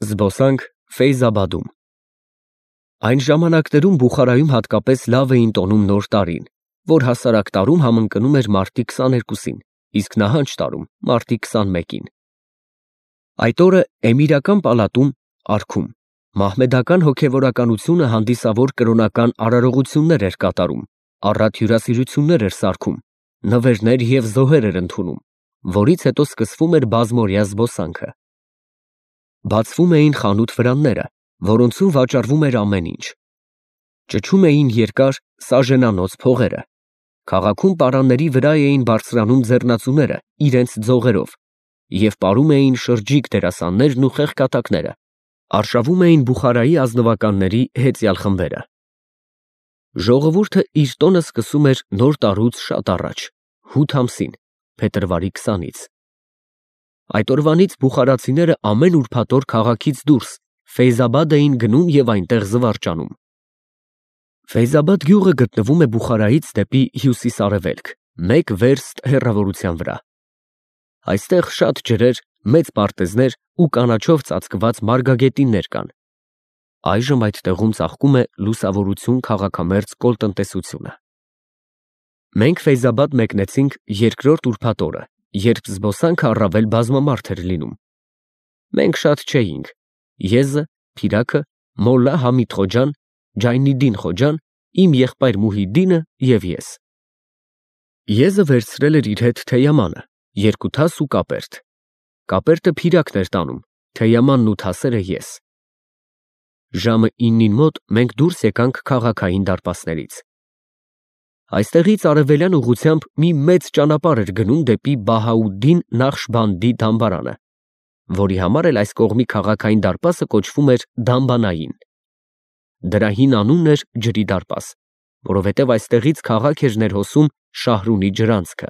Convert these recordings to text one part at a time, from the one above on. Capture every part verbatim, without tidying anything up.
Զբոսանք Ֆեյզաբադում։ Այն ժամանակներում Բուխարայում հատկապես լավ էին տոնում նոր տարին, որ հասարակ տարում համընկնում էր մարտի քսաներկուսին, իսկ նահանջ տարում մարտի քսանմեկին։ Այդ օրը էմիրական պալատում արքում մահմեդական հոգևորականությունը հանդիսավոր կրոնական արարողություններ էր կատարում, առատ հյուրասիրություններ էր սարքում, նվերներ և զոհեր էր ընդունում, որից հետո սկսվում էր բազմօրյա զբոսանքը։ Բացվում էին խանութ վրանները, որոնցում վաճառվում էր ամեն ինչ։ Ճչում էին երկար սաժենանոց փողերը։ Քաղաքում պարանների վրա էին բարձրանում ձեռնածուները իրենց ձողերով և պարում էին շրջիկ դերասաններն ու խեղկատակները, արշավում էին Բուխարայի ազնվականների հեծյալ խմբերը։ Ժողովուրդը իր տոնը սկսում էր նոր տարուց շատ առաջ, հութ ամսին, փետրվարի քսանից։ Այդ օրվանից բուխարացիները ամեն ուրբաթ օր քաղաքից դուրս Ֆեյզաբադ էին գնում և այնտեղ զվարճանում։ Ֆեյզաբադ գյուղը գտնվում է Բուխարայից դեպի հյուսիս֊արևելք, մեկ վերստ հեռավորության վրա։ Այստեղ շատ ջրեր, մեծ պարտեզներ ու կանաչով ծածկված մարգագետիններ կան։ Այժմ այդ տեղում ծաղկում է լուսավորություն քաղաքամերձ կոլտնտեսությունը։ Մենք Ֆեյզաբադ մեկնեցինք երկրորդ ուրբաթ օրը, երբ զբոսանքը առավել բազմամարդ էր լինում։ Մենք շատ չէինք. Եզը, Փիրակը, Մոլլա Համիդ Խոջան, Ջայնիդին Խոջան, իմ եղբայր Մուհիդդինը և ես։ Եզը վերցրել էր իր հետ թեյամանը, երկու թաս ու կապերտ։ Կապերտը Փիրակն էր տանում, թեյամանն ու թասերը ես։ Ժամը իննին մոտ մենք դուրս եկանք քաղաքային դարպասներից։ Այստեղից արևելյան ուղղությամբ մի մեծ ճանապարհ էր գնում դեպի Բահաուդդին Նախշբանդի դամբարանը, որի համար էլ այս կողմի քաղաքային դարպասը կոչվում էր Դամբանային։ Դրա հին անունն էր Ջրի դարպաս, որովհետև այստեղից քաղաք էր ներհոսում Շահրունի ջրանցքը։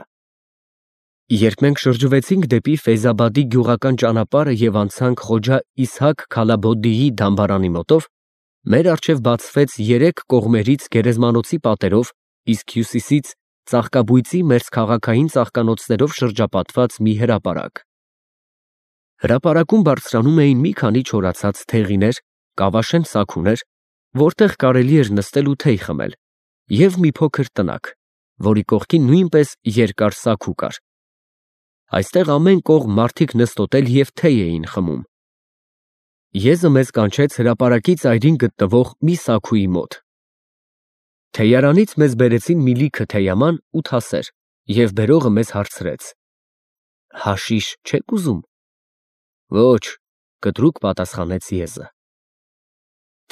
Երբ մենք շրջվեցինք դեպի Ֆեյզաբադի գյուղական ճանապարհը և անցանք Խոջա Իսհակ Քալաբոդդիի դամբարանի մոտով, մեր առջև բացվեց երեք կողմերից գերեզմանոցի պատերով, իսկ հյուսիսից ծաղկաբույծի մերձքաղաքային ծաղկանոցներով շրջապատված մի հրապարակ։ Հրապարակում բարձրանում էին մի քանի չորացած թեղիներ, կավաշեն սաքուներ, որտեղ կարելի էր նստել ու թեյ խմել, և մի փոքր տնակ, որի կողքին նույնպես երկար սաքու կար։ Այստեղ ամեն կողմ մարդիկ նստոտել և թեյ էին խմում։ Եզը մեզ կանչեց հրապարակի ծայրին գտնվող մի սաքուի մոտ։ Թեյարանից մեզ բերեցին մի լիքը թեյաման ու թասեր, և բերողը մեզ հարցրեց. «Հաշիշ չեք ուզում»։ «Ոչ», կտրուկ պատասխանեց Եզը։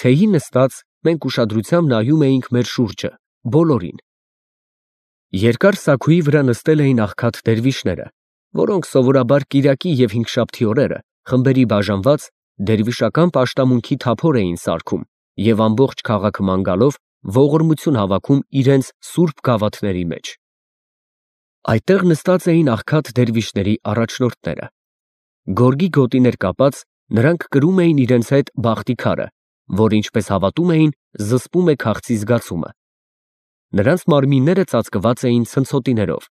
Թեյի նստած մենք ուշադրությամբ նայում էինք մեր շուրջը, բոլորին։ Երկար սաքուի վրա նստել էին աղքատ դերվիշները, որոնք սովորաբար կիրակի և հինգշաբթի օրերը խմբերի բաժանված դերվիշական պաշտամունքի թափոր էին սարքում և ամբողջ քաղաքը ման գալով ողորմություն հավաքում իրենց սուրբ գավաթների մեջ։ Այդտեղ նստած էին աղքատ դերվիշների առաջնորդները։ Գորգի գոտիներ կապած, նրանք կրում էին իրենց հետ բախտի քարը, որ, ինչպես հավատում էին, զսպում է քաղցի զգացումը։ Նրանց մարմինները ծածկված էին ցնցոտիներով։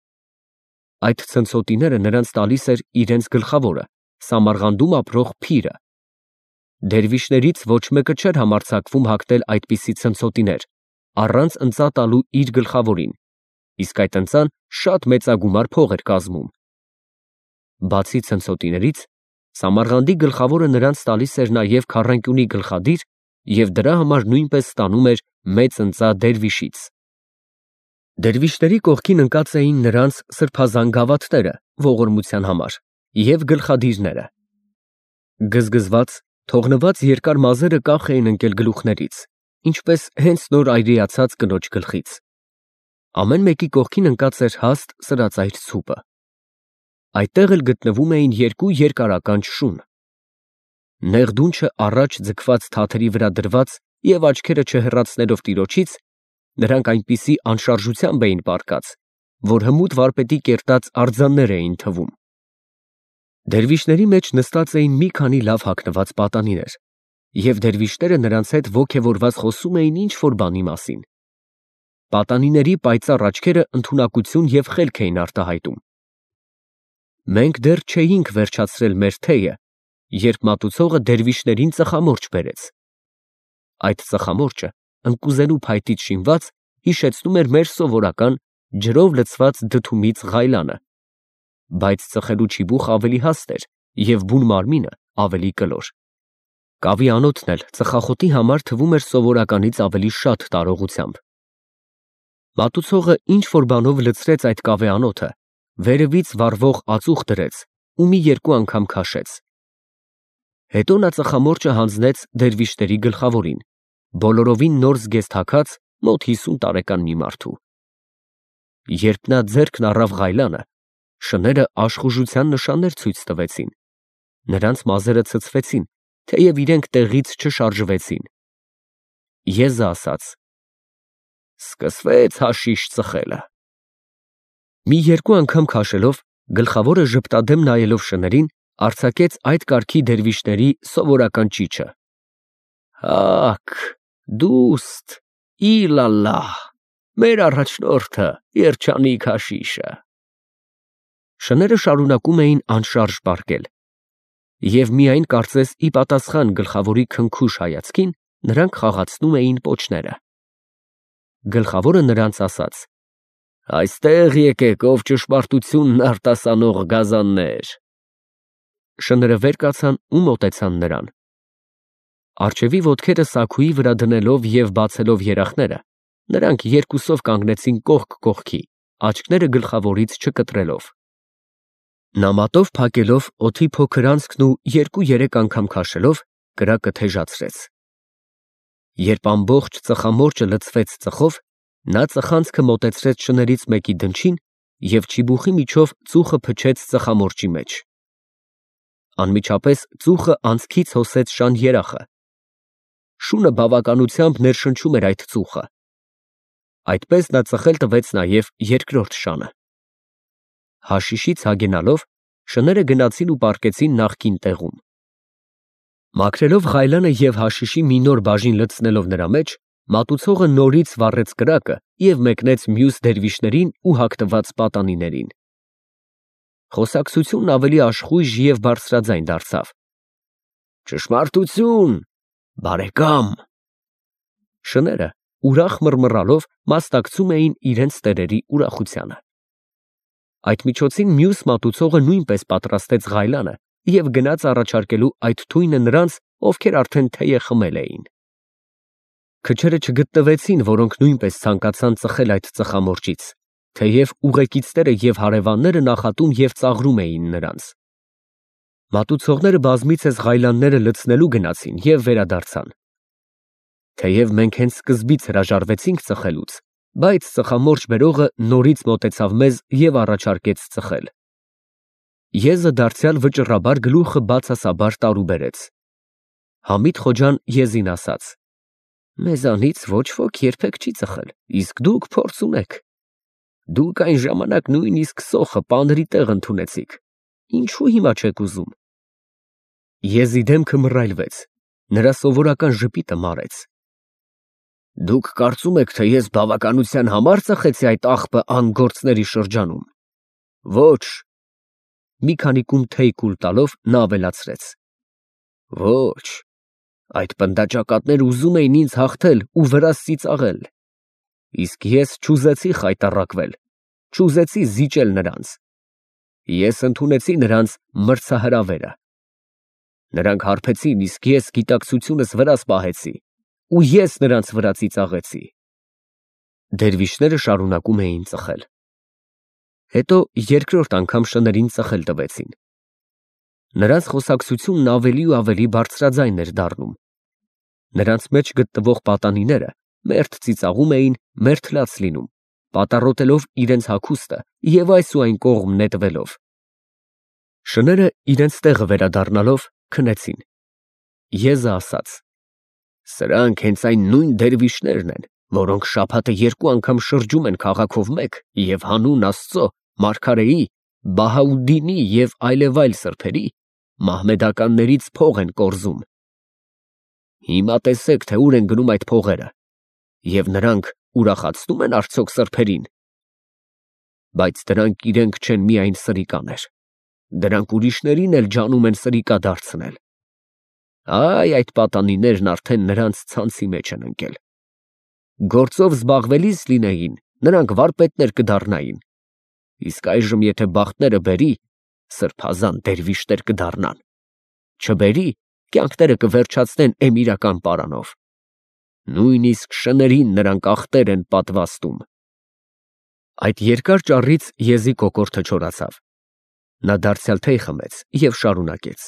Այդ ցնցոտիները նրանց տալիս էր իրենց գլխավորը, Սամարղանդում ապրող փիրը։ Դերվիշներից ոչ մեկը չէր համարձակվում հագնել այդպիսի ցնցոտիներ, առանց ընծա տալու իր գլխավորին, իսկ այդ ընծան շատ մեծագումար փող էր կազմում։ Բացի ցնցոտիներից, Սամարղանդի գլխավորը նրանց տալիս էր նաև քառանկյունի գլխադիր և դրա համար նույնպես ստանում էր մեծ ընծա դերվիշից։ Դերվիշների կողքին ընկած էին նրանց սրբազան գավաթները ողորմության համար և գլխադիրները։ Գզգզված, թողնված երկար մազերը կախ էին ընկել գլուխներից, ինչպես հենց նոր այրիացած կնոջ գլխից։ Ամեն մեկի կողքին ընկած էր հաստ սրածայր ցուպը։ Այդտեղ էլ գտնվում էին երկու երկարականջ շուն։ Նեղ դունչը առաջ ձգված թաթերի վրա դրված և աչքերը չհեռացնելով տիրոջից, նրանք այնպիսի անշարժությամբ էին պառկած, որ հմուտ վարպետի կերտած արձաններ էին թվում։ Դերվիշների մեջ նստած էին մի քանի լավ հագնված պատանիներ, և դերվիշները նրանց հետ ոգևորված խոսում էին ինչ-որ բանի մասին։ Պատանիների պայծառ աչքերը ընդունակություն և խելք էին արտահայտում։ Մենք դեռ չէինք վերջացրել մեր թեյը, երբ մատուցողը դերվիշներին ծխամորճ բերեց։ Այդ ծխամորճը ընկուզենու փայտից շինված հիշեցնում էր մեր սովորական ջրով լցված դդումից ղայլանը, բայց ծխելու չիբուխ ավելի հաստ էր և բուն մարմինը ավելի կլոր։ Կավի անոթն էլ ծխախոտի համար թվում էր սովորականից ավելի շատ տարողությամբ։ Մատուցողը ինչ-որ բանով լցրեց այդ կավե անոթը, վերևից վառվող ածուխ դրեց ու մի երկու անգամ քաշեց։ Հետո նա ծխամորճը հանձնեց դերվիշների գլխավորին, բոլորովին նոր զգեստ հագած մոտ հիսուն տարեկան մի մարդու։ Երբ նա ձեռքն առավ ղայլանը, շները աշխուժության նշաններ ցույց տվեցին, նրանց մազերը ցցվեցին, թեև իրենք տեղից չշարժվեցին։ Եզը ասաց. «Սկսվեց հաշիշ ծխելը»։ Մի երկու անգամ քաշելով, գլխավորը ժպտադեմ նայելով շներին, արձակեց այդ կարգի դերվիշների սովորական ճիչը. «Հաք, դուստ, իլալլահ, մեր առաջնորդը, երջանիկ հաշիշը»։ Շները շարունակում էին անշարժ պառկել, և միայն կարծես ի պատասխան գլխավորի քնքուշ հայացքին, նրանք խաղացնում էին պոչները։ Գլխավորը նրանց ասաց. «Այստեղ եկեք, ով ճշմարտությունն արտասանող գազաններ»։ Շները վեր կացան ու մոտեցան նրան։ Առջևի ոտքերը սաքուի վրա դնելով և բացելով երախները, նրանք երկուսով կանգնեցին կողք կողքի, աչքները գլխավորից չկտրելով։ Նա մատով փակելով օդի փոքր անցքն ու երկու֊երեք անգամ քաշելով, կրակը թեժացրեց։ Երբ ամբողջ ծխամորճը լցվեց ծխով, նա ծխանցքը մոտեցրեց շներից մեկի դնչին և չիբուխի միջով ծուխը փչեց ծխամորճի մեջ։ Անմիջապես ծուխը անցքից հոսեց շան երախը։ Շունը բավականությամբ ներշնչում էր այդ ծուխը։ Այդպես նա ծխել տվեց նաև երկրորդ շանը։ Հաշիշից հագենալով, շները գնացին ու պառկեցին նախկին տեղում։ Մաքրելով ղայլանը և հաշիշի մի նոր բաժին լցնելով նրա մեջ, մատուցողը նորից վառեց կրակը և մեկնեց մյուս դերվիշներին ու հագնված պատանիներին։ Խոսակցությունն ավելի աշխույժ և բարձրաձայն դարձավ. «Ճշմարտություն, բարեկամ»։ Շները, ուրախ մռմռալով, մասնակցում էին իրենց տերերի ուրախությանը։ Այդ միջոցին մյուս մատուցողը նույնպես պատրաստեց ղայլանը և գնաց առաջարկելու այդ թույնը նրանց, ովքեր արդեն թեյ խմել էին։ Քչերը չգտնվեցին, որոնք նույնպես ցանկացան ծխել այդ ծխամորճից, թեև ուղեկիցները և հարևանները նախատում և ծաղրում էին նրանց։ Մատուցողները բազմիցս ղայլանները լցնելու գնացին և վերադարձան։ Թեև մենք հենց սկզբից հրաժարվեցինք ծխելուց, բայց ծխամորճ բերողը նորից մոտեցավ մեզ և առաջարկեց ծխել։ Եզը դարձյալ վճռաբար գլուխը բացասաբար տարուբերեց։ Համիդ Խոջան եզին ասաց. «Մեզանից ոչ ոք երբեք չի ծխել, իսկ դուք փորձ ունեք։ Դուք այն ժամանակ նույնիսկ սոխը պանրի տեղ ընդունեցիք, ինչու հիմա չեք ուզում»։ Եզի դեմքը մռայլվեց, նրա սովորական ժպիտը մարեց։ «Դուք կարծում եք, թե ես բավականության համար ծխեցի այդ աղբը անգործների շրջանում։ Ոչ»։ Մի քանի կում թեյ կուլ տալով նա ավելացրեց. «Ոչ, այդ պնդաճակատները ուզում էին ինձ հաղթել ու վրաս ծիծաղել, իսկ ես չուզեցի խայտառակվել, չուզեցի զիջել նրանց։ Ես ընդունեցի նրանց մրցահրավերը։ Նրանք հարբեցին, իսկ ես գիտակցությունս վրաս պահեցի, ու ես նրանց վրա ծիծաղեցի»։ Դերվիշները շարունակում էին ծխել։ Հետո երկրորդ անգամ շներին ծխել տվեցին։ Նրանց խոսակցությունն ավելի ու ավելի բարձրաձայն էր դառնում։ Նրանց մեջ գտնվող պատանիները մերթ ծիծաղում էին, մերթ լաց լինում, պատառոտելով իրենց հագուստը և այս ու այն կողմ նետվելով։ Շները իրենց տեղը վերադառնալով քնեցին։ Եզը ասաց. «Սրանք հենց այն նույն դերվիշներն են, որոնք շաբաթը երկու անգամ շրջում են քաղաքով մեկ և հանուն Աստծո, մարգարեի, Բահաուդդինի և այլևայլ սրբերի մահմեդականներից փող են կորզում։ Հիմա տեսեք, թե ուր են գնում այդ փողերը, և նրանք ուրախացնո՞ւմ են արդյոք սրբերին։ Բայց դրանք իրենք չեն միայն սրիկաներ, Դրանք ուրիշներին էլ ջանում են սրիկա դարձնել։ Այ այդ պատանիներն արդեն նրանց ցանցի մեջ են ընկել։ Գործով զբաղվելիս լինեին, նրանք վարպետներ կդառնային, իսկ այժմ եթե բախտները բերի, սրբազան դերվիշներ կդառնան, չբերի, կյանքները կվերջացնեն էմիրական պարանով։ Նույնիսկ շներին նրանք ախտեր են պատվաստում։ Այդ երկար ճառից Եզի կոկորդը չորացավ։ Նա դարձյալ թեյ խմեց և շարունակեց.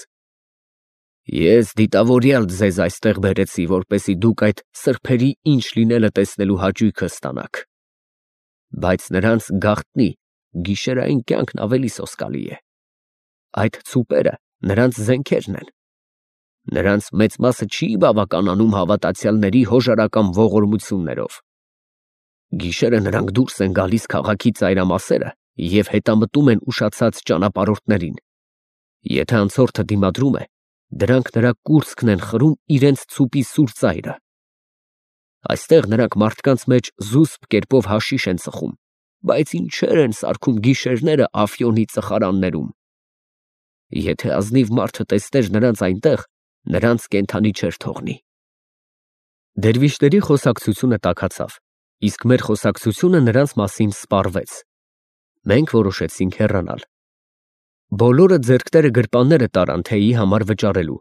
Ես դիտավորյալ ձեզ այստեղ բերեցի, որպեսզի դուք այդ սրբերի ինչ լինելը տեսնելու հաճույքը ստանաք։ Բայց նրանց գաղտնի գիշերային կյանքն ավելի սոսկալի է։ Այդ ցուպերը նրանց զենքերն են։ Նրանց մեծ մասը չի բավականանում հավատացյալների հոժարական ողորմություններով։ Գիշերը նրանք դուրս են գալիս քաղաքի ծայրամասերը և հետամտում են ուշացած ճանապարհորդներին։ Եթե անցորդը դիմադրում է, դրանք նրա կուրծքն են խրում իրենց ցուպի սուր ծայրը։ Այստեղ նրանք մարդկանց մեջ զուսպ կերպով հաշիշ են ծխում, բայց ինչեր են սարքում գիշերները Աֆյոնի ծխարաններում։ Եթե ազնիվ մարդը տեսներ նրանց այնտեղ, նրանց կենդանի չէր թողնի։ Դերվիշների խոսակցությունը տաքացավ, իսկ մեր խոսակցությունը նրանց մասին սպառվեց։ Մենք որոշեցինք հեռանալ։ Բոլորը ձեռքները գրպանները տարան թեյի համար վճարելու,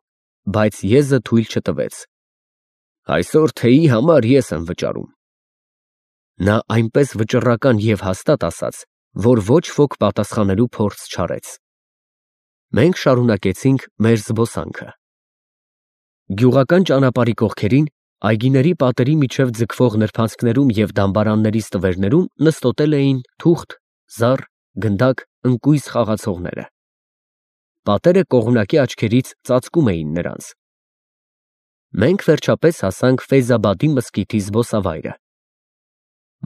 բայց Եզը թույլ չտվեց։ Այսօր թեյի համար ես եմ վճարում։ Նա այնպես վճռական և հաստատ ասաց, որ ոչ ոք պատասխանելու փորձ չարեց։ Մենք շարունակեցինք մեր զբոսանքը։ Գյուղական ճանապարհի կողքերին, այգիների պատերի միջև ձգվող նրբանցքներում և դամբարանների ստվերներում նստոտել էին թուղթ, զառ, գնդակ, ընկույզ խաղացողները։ Պատերը կողմնակի աչքերից ծածկում էին նրանց։ Մենք վերջապես հասանք Ֆեյզաբադի մզկիթի զբոսավայրը։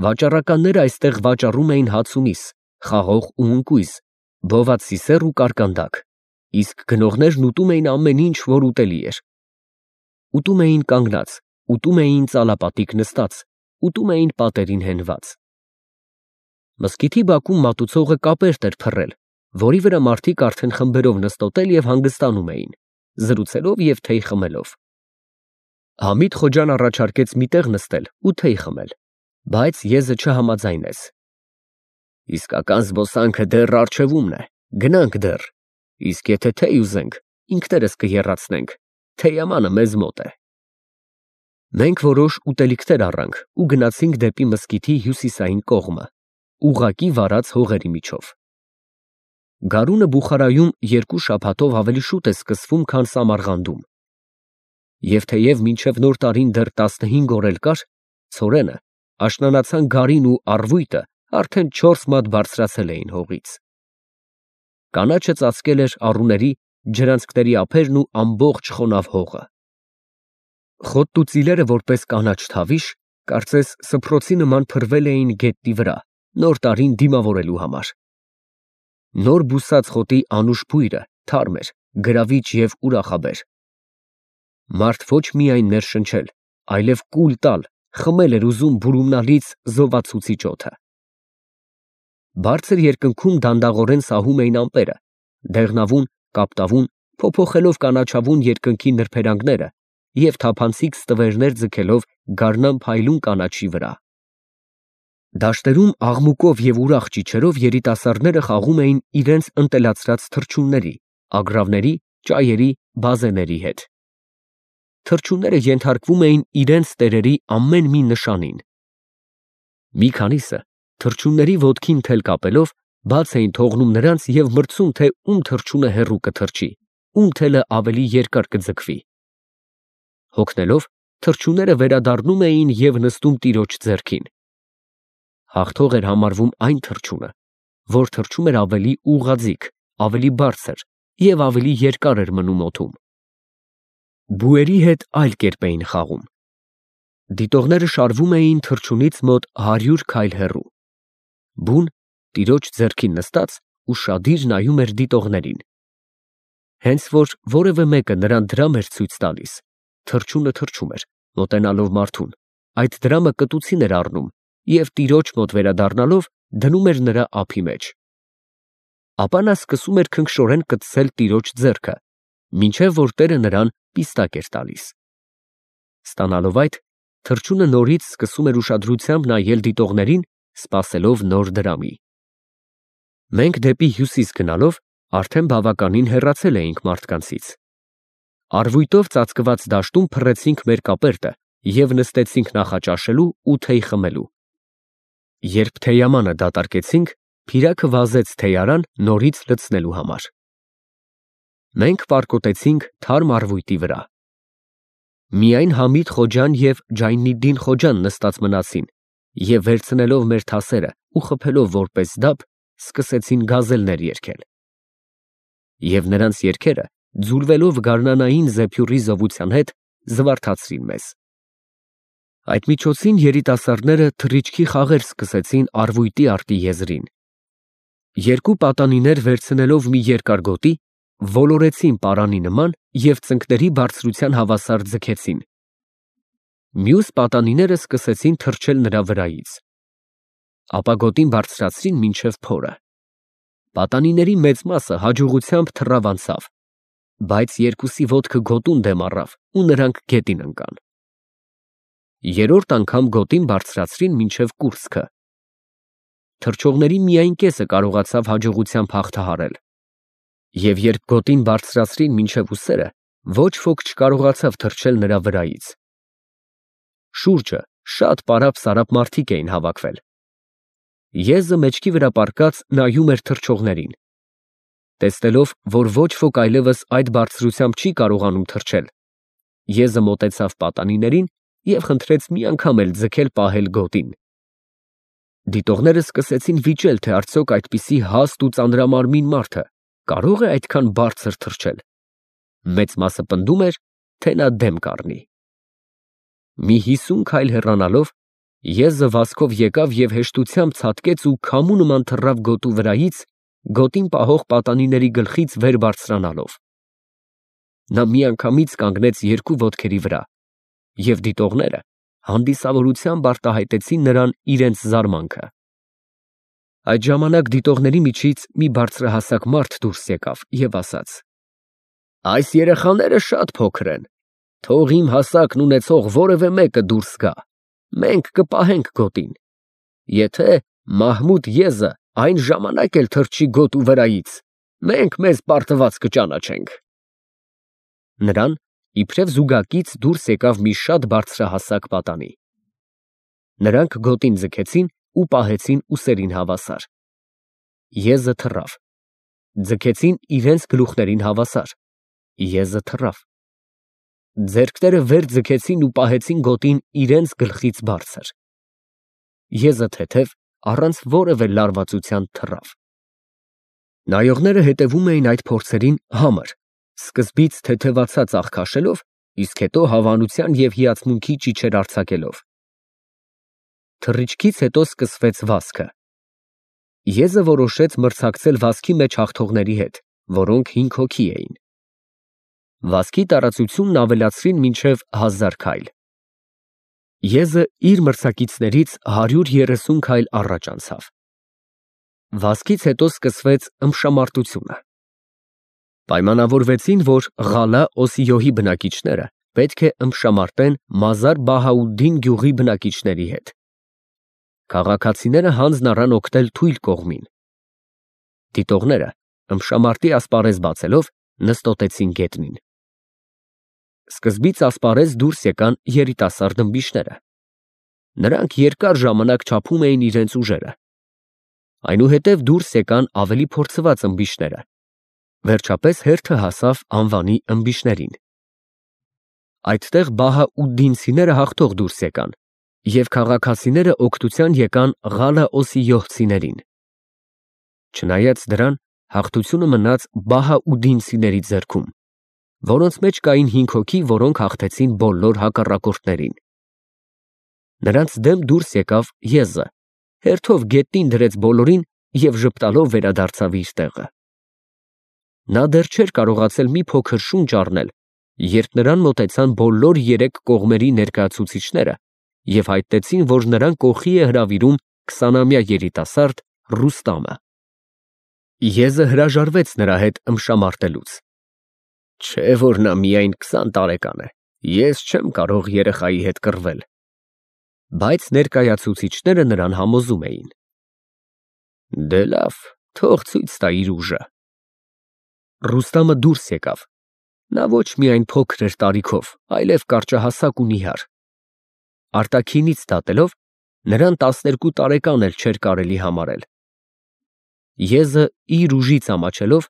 Վաճառականները այստեղ վաճառում էին հաց ու միս, խաղող ու ընկույզ, բոված սիսեռ ու կարկանդակ, իսկ գնողներն ուտում էին ամեն ինչ, որ ուտելի էր։ Ուտում էին կանգնած, ուտում էին ծալապատիկ նստած, ուտում էին պատերին հենված։ Մզկիթի բակում մատուցողը կապերտ էր փռել, որի վրա մարդիկ արդեն խմբերով նստոտել և հանգստանում էին, զրուցելով և թեյ խմելով։ Համիդ Խոջան առաջարկեց մի տեղ նստել ու թեյ խմել, բայց Եզը չհամաձայնեց։ Իսկական զբոսանքը դեռ առջևումն է, գնանք դեռ, իսկ եթե թեյ ուզենք, ինքներս կեռացնենք, թեյամանը մեզ մոտ է։ Մենք որոշ ուտելիքներ առանք ու գնացինք դեպի մզկիթի հյուսիսային կողմը, ուղղակի վարած հողերի միջով։ Գարունը Բուխարայում երկու շաբաթով ավելի շուտ է սկսվում, քան Սամարղանդում։ Եվ թեև մինչև նոր տարին դեռ տասնհինգ օր էլ կար, ցորենը, աշնանացան գարին ու առվույտը արդեն չորս մատ բարձրացել էին հողից։ Կանաչը ծածկել էր առուների, ջրանցքների ափերն ու ամբողջ խոնավ հողը։ Խոտն ու ծիլերը որպես կանաչ թավիշ, կարծես սփռոցի նման փռվել էին գետնի վրա, նոր տարին դիմավորելու համար։ Նոր բուսած խոտի անուշ բույրը թարմ էր, գրավիչ և ուրախաբեր։ Մարդ ոչ միայն ներշնչել, այլև կուլ տալ, խմել էր ուզում բուրումնալից զովացուցիչ օդը։ Բարձր երկնքում դանդաղորեն սահում էին ամպերը, դեղնավուն, կապտավուն, փոփոխելով կանաչավուն երկնքի նրբերանգները և թափանցիկ ստվերներ ձգելով գարնան փայլուն կանաչի վրա։ Դաշտերում աղմուկով և ուրախ ճիչերով երիտասարդները խաղում էին իրենց ընտելացրած թռչունների, ագռավների, ճայերի, բազեների հետ։ Թռչունները ենթարկվում էին իրենց տերերի ամեն մի նշանին։ Մի քանիսը, թռչունների ոտքին թել կապելով, բաց էին թողնում նրանց և մրցում, թե ում թռչունը հեռու կթռչի, ում թելը ավելի երկար կձգվի։ Հոգնելով, թռչունները վերադառնում էին և նստում տիրոջ ձեռքին։ Հաղթող էր համարվում այն թռչունը, որ թռչում էր ավելի ուղղաձիգ, ավելի բարձր և ավելի երկար էր մնում օդում։ Բուերի հետ այլ կերպ էին խաղում։ Դիտողները շարվում էին թռչունից մոտ հարյուր քայլ հեռու։ Բուն տիրոջ ձեռքին նստած ուշադիր նայում էր դիտողներին։ Հենց որ որևէ մեկը նրան դրամ էր ցույց տալիս, թռչունը թռչում էր, մոտենալով մարդուն, այդ դրամը կտուցին էր առնում և տիրոջ մոտ վերադառնալով դնում էր նրա ափի մեջ։ ապա նա սկսում էր քնքշորեն կծել տիրոջ ձեռքը, մինչև որ տերը նրան պիստակ էր տալիս։ Ստանալով այդ, թռչունը նորից սկսում էր ուշադրությամբ նայել դիտողներին, սպասելով նոր դրամի։ Մենք դեպի հյուսիս գնալով արդեն բավականին հեռացել էինք մարդկանցից։ Արվույտով ծածկված դաշտում փռեցինք մեր կապերտը և նստեցինք նախաճաշելու ու թեյ խմելու։ Երբ թեյամանը դատարկեցինք, Փիրակը վազեց թեյարան նորից լցնելու համար։ Մենք պարկոտեցինք թարմ արվույտի վրա։ Միայն Համիդ Խոջան և Ջայնիդդին Խոջան նստած մնացին և վերցնելով մեր թասերը ու խփելով որպես դափ, սկսեցին գազելներ երգել։ Եվ նրանց երգերը, ձուլվելով գարնանային զեփյուռի զովության հետ, զվարթացրին մեզ։ Այդ միջոցին երիտասարդները թռիչքի խաղեր սկսեցին արվույտի արտի եզրին։ Երկու պատանիներ վերցնելով մի երկար գոտի, ոլորեցին պարանի նման և ծնկների բարձրության հավասար ձգեցին։ Մյուս պատանիները սկսեցին թռչել նրա վրայից։ Ապա գոտին բարձրացրին մինչև փորը։ Պատանիների մեծ մասը հաջողությամբ թռավ անցավ, բայց երկուսի ոտքը գոտուն դեմ առավ ու նրանք գետին ընկան։ Երրորդ անգամ գոտին բարձրացրին մինչև կուրծքը։ Թռչողների միայն կեսը կարողացավ հաջողությամբ հաղթահարել։ Եվ երբ գոտին բարձրացրին մինչև ուսերը, ոչ ոք չկարողացավ թռչել նրա վրայից։ Շուրջը շատ պարապ-սարապ մարդիկ էին հավաքվել։ Եզը մեջքի վրա պառկած նայում էր թռչողներին։ Տեսնելով, որ ոչ ոք այլևս այդ բարձրությամբ չի կարողանում թռչել, Եզը մոտեցավ պատանիներին և խնդրեց մի անգամ էլ ձգել պահել գոտին։ Դիտողները սկսեցին վիճել, թե արդյոք այդպիսի հաստ ու ծանրամարմին մարդը կարո՞ղ է այդքան բարձր թռչել։ Մեծ մասը պնդում էր, թե նա դեմ կառնի։ Մի հիսուն քայլ հեռանալով, Եզը վազքով եկավ և հեշտությամբ ցատկեց ու քամու նման թռավ գոտու վրայից, գոտին պահող պատանիների գլխից վեր բարձրանալով։ Նա միանգամից կանգնեց երկու ոտքերի վրա, և դիտողները հանդիսավորությամբ արտահայտեցին նրան իրենց զարմանքը։ Այդ ժամանակ դիտողների միջից մի բարձրահասակ մարդ դուրս եկավ և ասաց. «Այս երեխաները շատ փոքր են, թող իմ հասակն ունեցող որևէ մեկը դուրս գա, մենք կպահենք գոտին։ Եթե Մահմուդ Եզը այն ժամանակ էլ թռչի գոտու վրայից, մենք մեզ պարտված կճանաչենք»։ Նրան իբրև զուգակից դուրս եկավ մի շատ բարձրահասակ պատանի։ Նրանք գոտին ձգեցին ու պահեցին ուսերին հավասար։ Եզը թռավ։ Ձգեցին իրենց գլուխներին հավասար։ Եզը թռավ։ Ձեռքները վեր ձգեցին ու պահեցին գոտին իրենց գլխից բարձր։ Եզը թեթև, առանց որևէ լարվածության թռավ։ Նայողները հետևում էին այդ փորձերին համր, սկզբից թեթևացած աղ քաշելով, իսկ հետո հավանության և հիացմունքի ճիչեր արձակելով։ Թռիչքից հետո սկսվեց վազքը։ Եզը որոշեց մրցակցել վազքի մեջ հաղթողների հետ, որոնք հինգ հոգի էին։ Վազքի տարածությունն ավելացրին մինչև հազար քայլ։ Եզը իր մրցակիցներից հարյուր երեսուն քայլ առաջ անցավ։ Վազքից հետո սկսվեց ըմբշամարտությունը։ Պայմանավորվեցին, որ Ղալա Օսիոհի բնակիչները պետք է ըմբշամարտեն Մազար Բահաուդդին գյուղի բնակիչների հետ։ Քաղաքացիները հանձն առան օգնել թույլ կողմին։ Դիտողները, ըմբշամարտի ասպարեզ բացելով, նստոտեցին գետնին։ Սկզբից ասպարեզ դուրս եկան երիտասարդ ըմբիշները։ Նրանք երկար ժամանակ չափում էին իրենց ուժերը։ Այնուհետև դուրս եկան ավելի փորձված ըմբիշները։ Վերջապես հերթը հասավ անվանի ըմբիշներին։ Այդտեղ բահաուդդինցիները հաղթող դուրս եկան, և քաղաքացիները օգնության եկան Ղալա Օսիոհցիներին։ Չնայած դրան, հաղթությունը մնաց բահաուդդինցիների ձեռքում, որոնց մեջ կային հինգ հոգի, որոնք հաղթեցին բոլոր հակառակորդներին։ Նրանց դեմ դուրս եկավ Եզը, հերթով գետնին դրեց բոլորին և ժպտալով վերադարձավ իր տեղը։ Նա դեռ չէր կարողացել մի փոքր շունչ առնել, երբ նրան մոտեցան բոլոր երեք կողմերի ներկայացուցիչները և հայտնեցին, որ նրան կողքի է հրավիրում քսանամյա երիտասարդ Ռուստամը։ Եզը հրաժարվեց նրա հետ ըմբշամարտելուց։ Չէ որ նա միայն քսան տարեկան է, ես չեմ կարող երեխայի հետ կռվել։ Բայց ներկայացուցիչները նրան համոզում էին։ Դե լավ, թող ցույց տա իր ուժը։ Ռուստամը դուրս եկավ։ Նա ոչ միայն փոքր էր տարիքով, այլև կարճահասակ ու նիհար։ Արտաքինից դատելով, նրան տասներկու տարեկան էլ չէր կարելի համարել։ Եզը իր ուժից ամաչելով,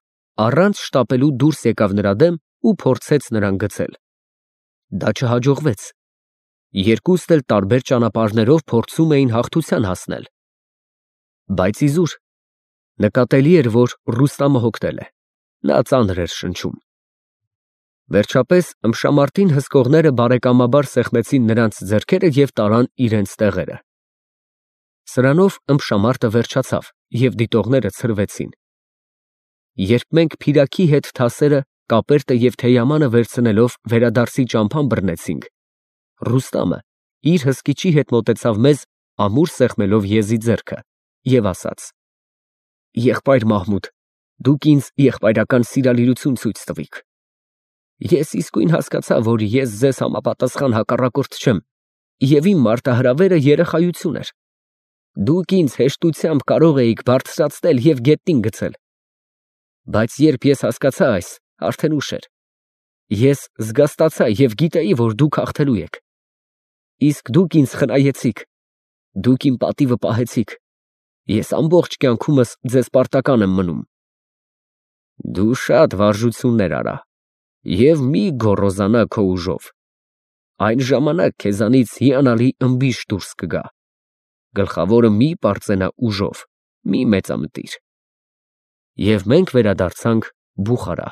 առանց շտապելու դուրս եկավ նրա դեմ ու փորձեց նրան գցել։ Դա չհաջողվեց։ Երկուստ էլ տարբեր ճանապարհներով փորձում էին հաղթության հասնել։ Բայց իզուր նկատելի էր, որ Ռուստամը հոգնել է։ Նա ծանր էր շնչում։ Վերջապես ըմբշամարտին հսկողները բարեկամաբար սեղմեցին նրանց ձեռքերը և տարան իրենց տեղերը։ Սրանով ըմբշամարտը վերջացավ, և դիտողները ցրվեցին։ Երբ մենք փիրակի հետ թասերը, կապերտը և թեյամանը վերցնելով վերադարձի ճամփան բռնեցինք, Ռուստամը իր հսկիչի հետ մոտեցավ մեզ, ամուր սեղմելով եզի ձեռքը, և ասաց. Եղբայր Մահմուդ, դուք ինձ եղբայրական սիրալիրություն ցույց տվիք։ Ես իսկույն հասկացա, որ ես ձեզ համապատասխան հակառակորդ չեմ, և իմ մարտահրավերը երեխայություն էր։ Դուք ինձ հեշտությամբ կարող էիք բարձրացնել և գետնին գցել։ Բայց երբ ես հասկացա այս, արդեն ուշ էր։ Ես զգաստացա և գիտեի, որ դուք հաղթելու եք։ Իսկ դուք ինձ խնայեցիք։ Դուք իմ պատիվը պահեցիք։ Ես ամբողջ կյանքումս ձեզ պարտական եմ մնում։ Դու շատ վարժություններ արա և մի գոռոզանա քո ուժով։ Այն ժամանակ քեզանից հիանալի ըմբիշ դուրս կգա։ Գլխավորը մի պարծենա ուժով, մի մեծամտիր։ Եվ մենք վերադարձանք Բուխարա։